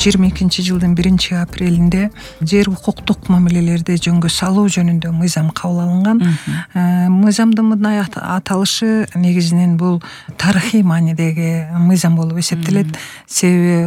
2022-жылдын 1-апрелинде жер укуктук мамилелерди жөнгө салуу жөнүндө мыйзам кабыл алынган. Мыйзамдын мындай аталышы негизинен бул тарыхый маанидеги мыйзам болуп эсептелет. Себеби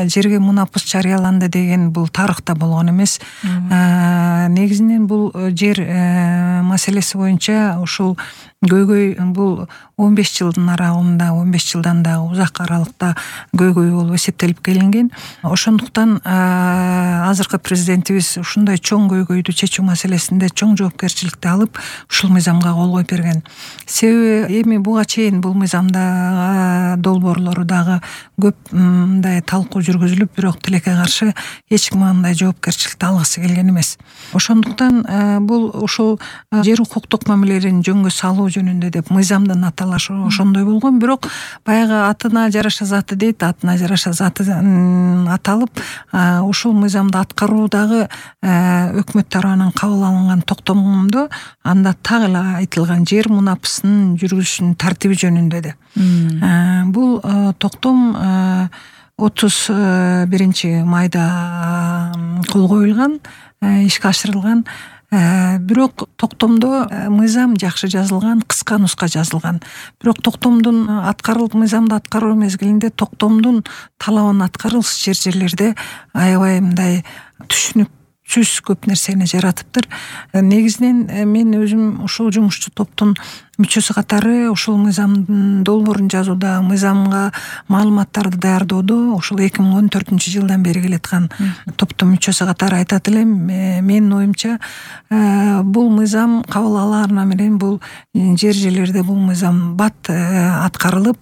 жерге мунапыс жарыяланды деген бул тарыхта болгон эмес. Негизинен бул жер маселеси боюнча ушул көйгөй бул 15 жылдын аралыгында, 15 жылдан да узак аралыкта көйгөй болуп эсептелип келинген. Ошондуктан азыркы президентибиз ушундай чоң көйгөйдү чечүү маселесинде чоң жоопкерчиликти алып, ушул мыйзамга кол коюп берген. Себеби эми буга чейин бул мыйзамда долбоорлору дагы көп мындай талкуу жүргүзүлүп, бирок тилекке каршы эч ким андай жоопкерчиликти алгысы келген эмес. Ошондуктан бул ушул жер укуктук мамилелерин жөнгө салуу жөнүндө деп мыйзамдын аталышы ошондой болгон, бирок баягы атына жараша заты дейт, атына жараша заты аталып, ушул мыйзамды аткаруудагы өкмөт тарабынан кабыл алынган токтомдо анда так эле айтылган жер мунапысынын жүргүзүшүнүн тартиби жөнүндө да. Бул токтом 31 майда кол коюлган, ишке ашырылган. Бирок токтомдо мыйзам жакшы жазылган, кыска нуска жазылган. Бирок токтомдун мыйзамды аткаруу мезгилинде токтомдун талабын аткарылыш жерлерде аябай мындай түшүнүксүз көп нерсени жаратыптыр. Негизинен мен өзүм ушул жумушчу топтун мүчөсү катары ушул мыйзамдын долбоорун жазууда, мыйзамга маалыматтарды даярдоодо ушул 2014-жылдан бери келаткан топтун мүчөсү катары айтат элем. Менин оюмча, бул мыйзам кабыл алгандан менен бул жерлерде бул мыйзам бат аткарылып,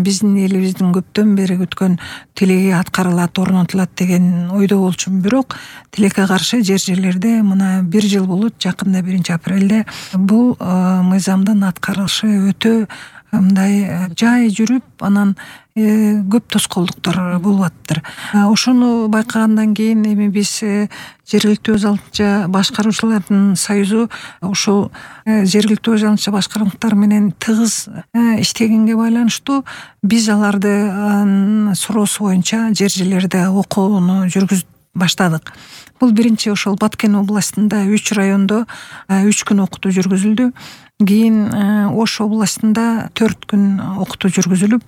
биздин элибиздин көптөн бери күткөн тилеги аткарылат, орнотулат деген ойдо болчумун. Бирок тилекке каршы жерлерде мына 1 жыл болот, жакында 1-апрелде бул мыйзамдын аткарылышы өтө мындай жай жүрүп, анан көп тоскоолдуктар болуп атыптыр. Ошону байкагандан кийин эми биз жергиликтүү өз алдынча башкаруучулардын союзу ушул жергиликтүү өз алдынча башкаруучулар менен тыгыз иштегенге байланыштуу биз аларды суроосу боюнча жерлерде окууну жүргүзүп баштадык. Бул биринчи ошол Баткен областында 3 райондо 3 күн окутуу жүргүзүлдү. Кийин Ош областында 4 күн окутуу жүргүзүлүп,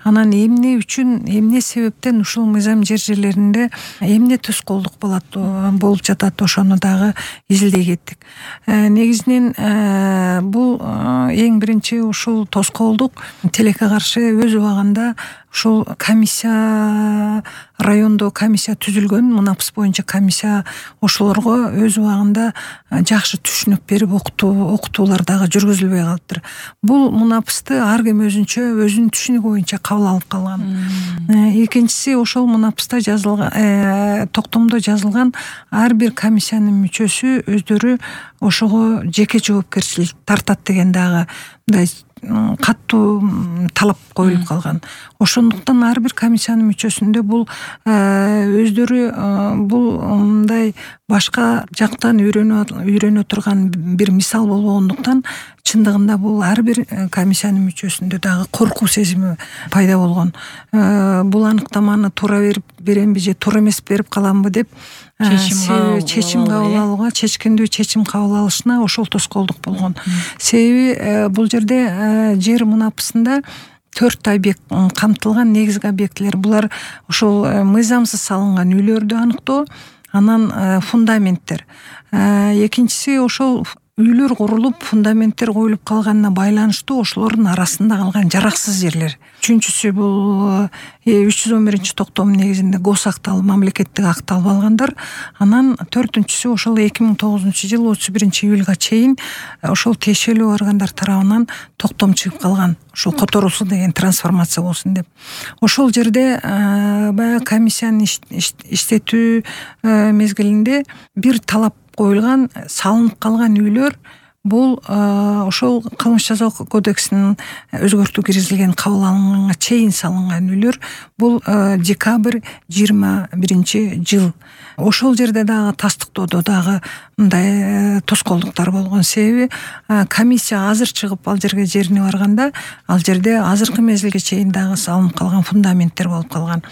анан эмне себептен ушул мыйзам жерлеринде эмне тоскоолдук болуп жатат, ошону дагы изилдей кеттик. Негизинен бул эң биринчи ушул тоскоолдук тилекке каршы өз убагында ушул райондо комиссия түзүлгөн, мунапыс боюнча комиссия ошолорго өз убагында жакшы түшүнүк берип окутуулар дагы жүргүзүлбөй калыптыр. Бул мунапысты ар ким өзүнүн түшүнүгү боюнча кабыл алып калган. Экинчиси, ошол мунапыста жазылган, токтомдо жазылган ар бир комиссиянын мүчөсү өздөрү ошого жеке жоопкерчилик тартат деген дагы мындай каттуу талап коюлуп калган. Ошондуктан ар бир комиссиянын мүчөсүндө бул өздөрү бул мындай башка жактан үйрөнө турган бир мисал болбогондуктан, чындыгында бул ар бир комиссиянын мүчөсүндө дагы коркуу сезими пайда болгон. Бул аныктаманы туура беремби же туура эмес берип каламбы деп чечим кабыл алууга, чечкиндүү чечим кабыл алышына ошол тоскоолдук болгон. Себеби бул жерде жер мунапысында 4 объект камтылган, негизги объектилер. Булар ошол мыйзамсыз салынган үйлөрдү аныктоо, анан фундаменттер. Экинчиси, ошол үйлөр курулуп, фундаменттер коюлуп калганына байланыштуу ошолордун арасында калган жараксыз жерлер. Үчүнчүсү бул 311-токтом негизинде госактал, мамлекеттик акт алып алгандар. Анан 4-сү ошол 2009-жыл 31-июлга чейин ошол тиешелүү органдар тарабынан токтом чыгып калган. Ошол которулсун деген, трансформация болсун деп. Ошол жерде баягы комиссиянын иштетүү мезгилинде бир талап коюлган, салынып калган үйлөр бул ошол кылмыш жаза кодексинин өзгөртүү киргизилген, кабыл алынганга чейин салынган үйлөр. Бул декабрь 21-жыл. Ошол жерде дагы тастыктоодо дагы мындай тоскоолдуктар болгон. Себеби комиссия азыр чыгып ал жерге жерине барганда ал жерде азыркы мезгилге чейин дагы салынып калган фундаменттер болуп калган.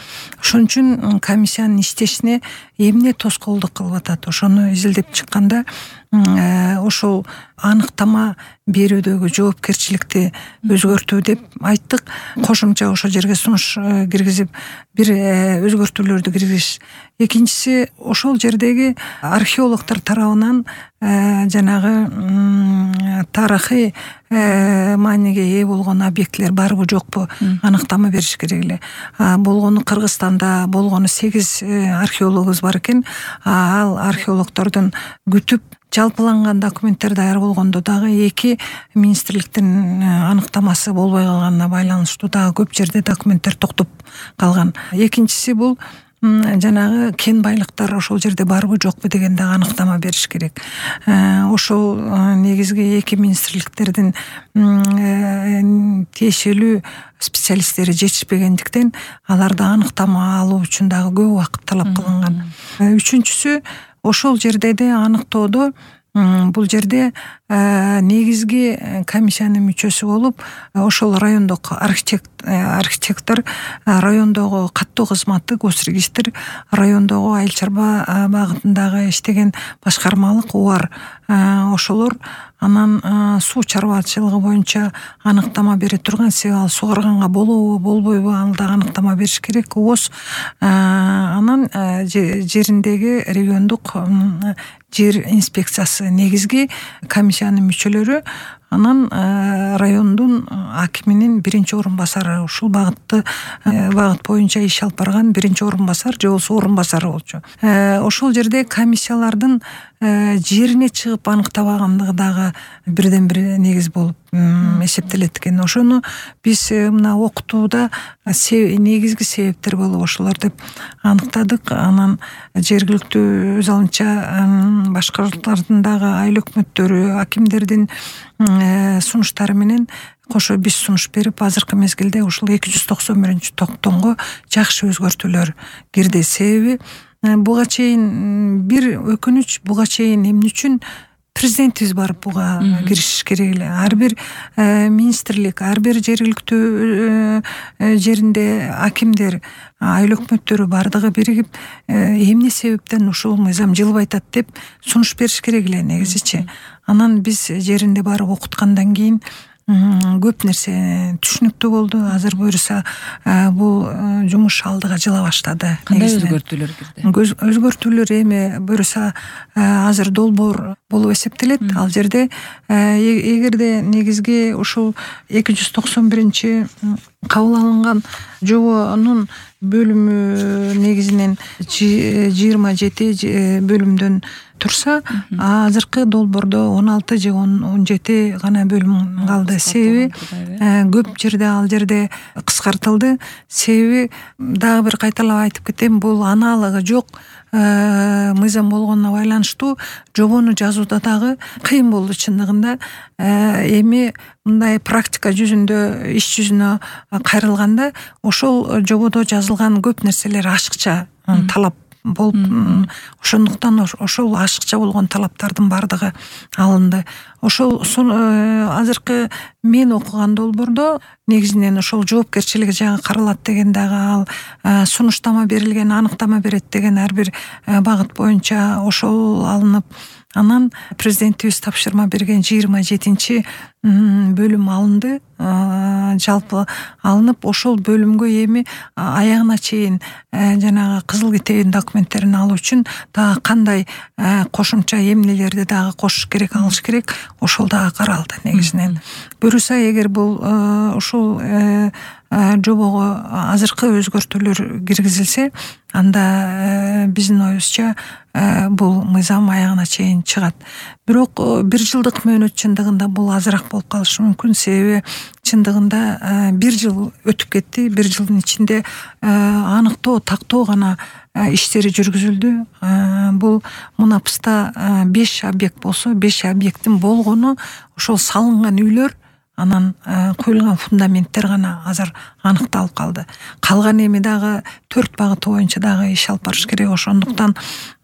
Ошон үчүн комиссиянын иштешине эмне тоскоолдук кылып атат, ошону изилдеп чыкканда ошол аныктама берүүдөгү жоопкерчиликти өзгөртүү деп айттык. Кошумча ошол жерге сунуш киргизип бир өзгөртүүлөрдү киргизиш. Экинчиси, ошол жердеги археологдор тарабынан жанагы тарыхый мааниге ээ болгон объектилер барбы жокпу аныктама бериш керек эле. Болгону Кыргызстанда болгону 8 археологубуз бар экен. Ал археологдордун күтүп жалпыланган документтер даяр болгондо дагы 2 министрликтин аныктамасы болбой калганына байланыштуу дагы көп жерде документтер токтоп калган. Экинчиси бул жанагы кен байлыктар ошол жерде барбы жокпу деген дагы аныктама бериш керек. Ошол негизги 2 министрликтердин тиешелүү специалисттери жетишпегендиктен аларда аныктама алуу үчүн дагы көп убакыт талап кылынган. Үчүнчүсү, ошол жерде де аныктоодо бул жерде негизги комиссиянын мүчөсү болуп, ошол райондогу архитектор, райондогу каттоо кызматы, госрегистр, райондогу айыл чарба багытындагы иштеген башкармалык УАР, ошолор анан суу чарбачылыгы боюнча аныктама бере турган. Себеби ал сугарганга болобу болбойбу ал да аныктама бериш керек. ООС анан жериндеги региондук жер инспекциясы негизги комиссиянын мүчөлөрү, анан райондун акиминин биринчи орун басары, ушул багыт боюнча иш алып барган биринчи орун басар же болбосо орун басары болчу. Ошол жерде комиссиялардын жерине чыгып аныктабагандыгы дагы бирден бир негиз болуп эсептелет экен. Ошону биз мына окутууда негизги себептер болуп ошолор деп аныктадык. Анан жергиликтүү өз алынча башкаруулардын дагы айыл өкмөттөрү, акимдердин сунуштары менен кошо биз сунуш берип, азыркы мезгилде ушул 291-токтомго жакшы өзгөртүүлөр кирди. Себеби буга чейин бир өкүнүч, буга чейин эмне үчүн президентибиз барып буга киришиш керек эле. Ар бир министрлик, ар бир жергиликтүү жеринде акимдер, айыл өкмөттөрү бардыгы биригип эмне себептен ушул мыйзам жылбай атат деп сунуш бериш керек эле негизичи. Анан биз жеринде барып окуткандан кийин көп нерсе түшүнүктүү болду. Азыр буюрса бул жумуш алдыга жыла баштады. Кандай өзгөртүүлөр кирди? Өзгөртүүлөр эми буюрса азыр долбоор болуп эсептелет. Ал жерде эгерде негизги ушул 291 кабыл алынган жобонун бөлүмү негизинен 27 бөлүмдөн турса, азыркы долбоордо 16 же 17 гана бөлүм калды. Себеби көп жерде ал жерде кыскартылды. Себеби дагы бир кайталап айтып кетем, бул аналыгы жок мыйзам болгонуна байланыштуу жобону жазууда дагы кыйын болду чындыгында. Эми мындай практика жүзүндө, иш жүзүнө кайрылганда ошол жободо жазылган көп нерселер ашыкча талап болуп, ошондуктан ошол ашыкча болгон талаптардын бардыгы алынды. Ошол азыркы мен окуган долбоордо негизинен ошол жоопкерчилиги жагы каралат деген дагы ал сунуштама берилген, аныктама берет деген ар бир багыт боюнча ошол алынып, анан президентибиз тапшырма берген 27 бөлүм алынды. Жалпы алынып, ошол бөлүмгө эми аягына чейин жанагы кызыл китебин документтерин алуу үчүн дагы кандай кошумча эмнелерди дагы кошуш керек, алыш керек, ошол дагы каралды негизинен. Буюрса эгер бул ушул жобого азыркы өзгөртүүлөр киргизилсе, анда биздин оюбузча бул мыйзам аягына чейин чыгат. Бирок 1 жылдык мөөнөт чындыгында бул азыраак болуп калышы мүмкүн. Себеби чындыгында 1 жыл өтүп кетти. 1 жылдын ичинде аныктоо, тактоо гана иштери жүргүзүлдү. Бул Мунапыста 5 объект болсо, 5 объекттин болгону ошол салынган үйлөр, анан коюлган фундаменттер гана азыр аныкталып калды. Калган эми дагы 4 багыты боюнча дагы иш алып барыш керек. Ошондуктан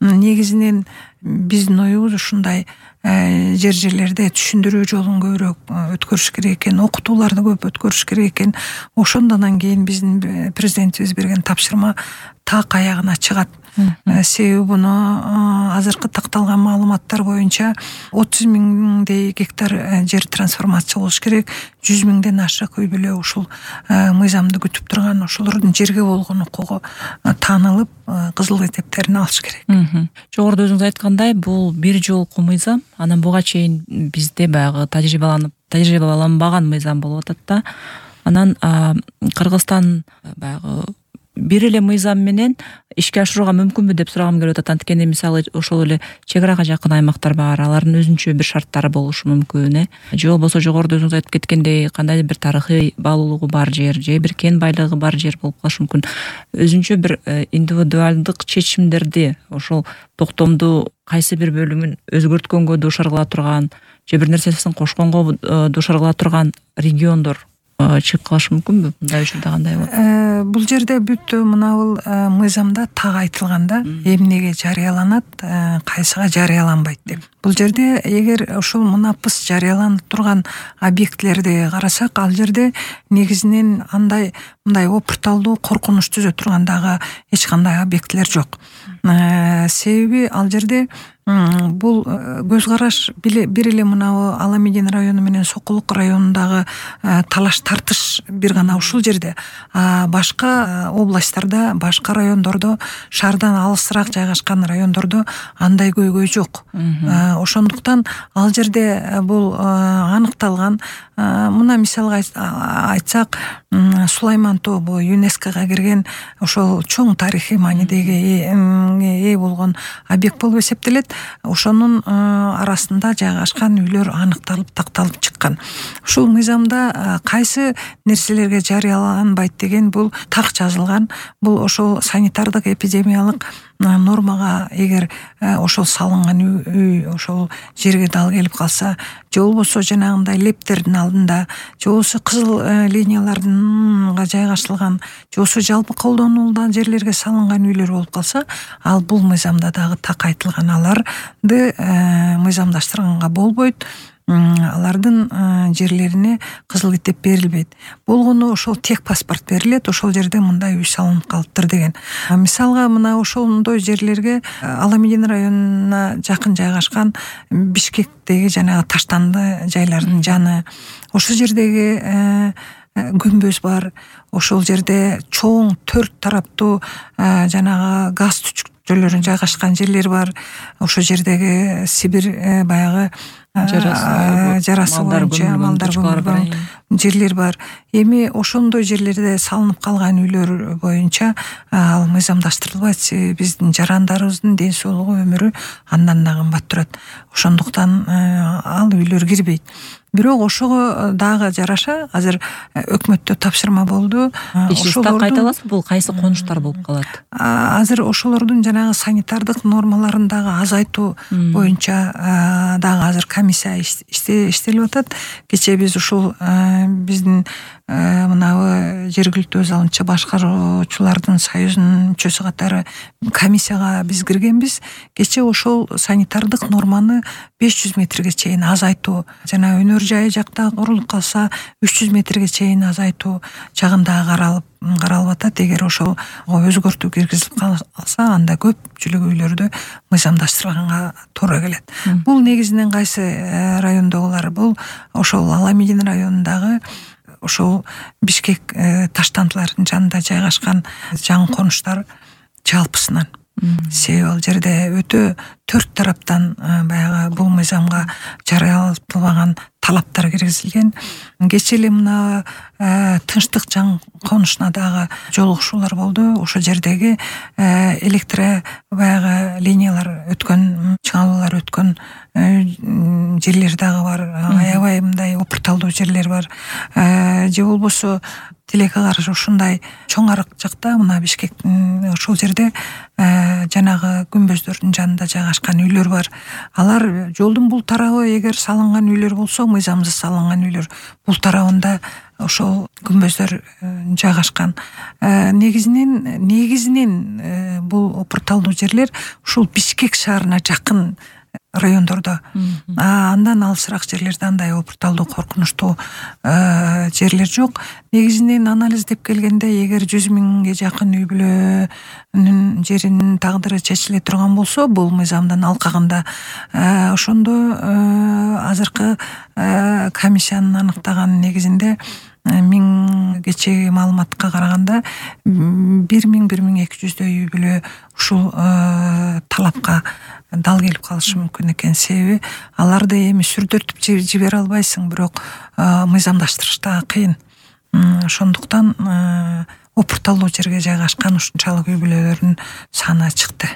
негизинен биздин оюбуз ушундай жерлерде түшүндүрүү жолун көбүрөөк өткөрүш керек экен, окутууларды көп өткөрүш керек экен. Ошондон кийин биздин президентибиз берген тапшырма так аягына чыгат. Себеби буну азыркы такталган маалыматтар боюнча 30 миңдей гектар жер трансформация болуш керек. 100 миңден ашык үй бүлө ушул мыйзамды күтүп турган, ошолордун жерге болгон укугу таанылып, кызыл китептерин алыш керек. Жогоруда өзүңүз айткандай, бул бир жолку мыйзам, анан буга чейин бизде баягы тажрыйбаланбаган мыйзам болуп атат да. Анан Кыргызстан баягы бир эле мыйзам менен ишке ашырууга мүмкүнбү деп сурагым келип атат. Анткени мисалы ошол эле чек арага жакын аймактар бар, алардын өзүнчө бир шарттары болушу мүмкүн, же болбосо жогоруда өзүңүз айтып кеткендей кандайдыр бир тарыхый баалуулугу бар жер, же бир кен байлыгы бар жер болуп калышы мүмкүн. Өзүнчө бир индивидуалдык чечимдерди ошол токтомду кайсы бир бөлүмүн өзгөрткөнгө дуушар кыла турган, же бир нерсесин кошконго дуушар кыла турган региондор чыгып калышы мүмкүнбү? Мындай учурда кандай болот? Бул жерде бүт мынабул мыйзамда так айтылган да, эмнеге жарыяланат, кайсыга жарыяланбайт деп. Бул жерде эгер ошол мунапыс жарыяланып турган объектлерди карасак, ал жерде негизинен андай мындай опурталдуу, коркунуч түзө турган дагы эч кандай объектлер жок. Себеби ал жерде бул көз караш бир эле мынабу Аламедин району менен Сокулук районундагы талаш тартыш бир гана ушул жерде. Башка областтарда, башка райондордо, шаардан алысыраак жайгашкан райондордо андай көйгөй жок. Ошондуктан ал жерде бул аныкталган. Мына мисалга айтсак, Сулайман тобу ЮНЕСКОга кирген ошол чоң тарыхый маанидеги ээ болгон объект болуп эсептелет. Ошонун арасында жайгашкан үйлөр аныкталып, такталып чыккан. Ушул мыйзамда кайсы нерселерге жарыяланбайт деген бул так жазылган. Бул ошол санитардык эпидемиялык нормага эгер ошол салынган үй ошол жерге дал келип калса, же болбосо жанагындай лептердин алдында, же болбосо кызыл линиялардын жайгаштырылган, же болбосо жалпы колдонулган жерлерге салынган үйлөр болуп калса, ал бул мыйзамда дагы так айтылган. Аларды мыйзамдаштырганга болбойт. Алардын жерлерине кызыл китеп берилбейт. Болгону ошол тек паспорт берилет, ошол жерде мындай үй салынып калыптыр деген. Мисалга мына ошондой жерлерге Аламедин районуна жакын жайгашкан Бишкектеги жанагы таштанды жайлардын жаны, ошол жердеги көмбөз бар, ошол жерде чоң 4 тараптуу жанагы газ түчүкчөлөрүн жайгашкан жерлер бар. Ошол жердеги Сибир баягы жарасы боюнча малдар көмүлгөн жерлер бар. Эми ошондой жерлерде салынып калган үйлөр боюнча ал мыйзамдаштырылбайт. Биздин жарандарыбыздын ден соолугу, өмүрү андан да кымбат турат. Ошондуктан ал үйлөр кирбейт. Бирок ошого дагы жараша азыр өкмөттө тапшырма болду. Ошолорду кайталасызбы, бул кайсы конуштар болуп калат? Азыр ошолордун жанагы санитардык нормаларын дагы азайтуу боюнча дагы азыр комиссия иштелип атат. Кечээ биз ушул биздин мынабы жергиликтүү өз алынча башкаруучулардын союзунун мүчөсү катары комиссияга биз киргенбиз. Кечээ ошол санитардык норманы 500 метрге чейин азайтуу, жана өнөр жайы жакта курулуп калса 300 метрге чейин азайтуу жагында каралып атат. Эгер ошол өзгөртүү киргизилип калса, анда көпчүлүк үйлөрдө мыйзамдаштырганга туура келет. Бул негизинен кайсы райондогулар? Бул ошол Аламедин районундагы ошол Бишкек таштандылардын жанында жайгашкан жаңы конуштар жалпысынан. Себеби ал жерде өтө 4 тараптан баягы бул мыйзамга жарыялатылбаган талаптар киргизилген. Кечээ эле мына Тынчтык жаңы конушуна дагы жолугушуулар болду. Ошол жердеги электр баягы линиялар өткөн, чыңалуулар өткөн жерлер дагы бар. Аябай мындай опурталдуу жерлер бар. Же болбосо тилекке каршы ушундай чоң арык жакта, мына Бишкектин ошол жерде жанагы күмбөздөрдүн жанында жайгашкан үйлөр бар. Алар жолдун бул тарабы эгер салынган үйлөр болсо, мыйзамсыз салынган үйлөр, бул тарабында ошол күмбөздөр жайгашкан. Негизинен бул опурталдуу жерлер ушул Бишкек шаарына жакын райондордо. Андан алысыраак жерлерде андай опурталдуу, коркунучтуу жерлер жок. Негизинен анализдеп келгенде, эгер 100 миңге жакын үй бүлөнүн жеринин тагдыры чечиле турган болсо, бул мыйзамдын алкагында, ошондо азыркы комиссиянын аныктаган негизинде 1000 кечеги маалыматка караганда 1200 үй бүлө ушул талапка дал келип калышы мүмкүн экен. Себеби аларды эми сүрдөртүп жибере албайсың, бирок мыйзамдаштырыш да кыйын. Ошондуктан опурталдуу жерге жайгашкан ушунчалык үй бүлөлөрдүн саны чыкты.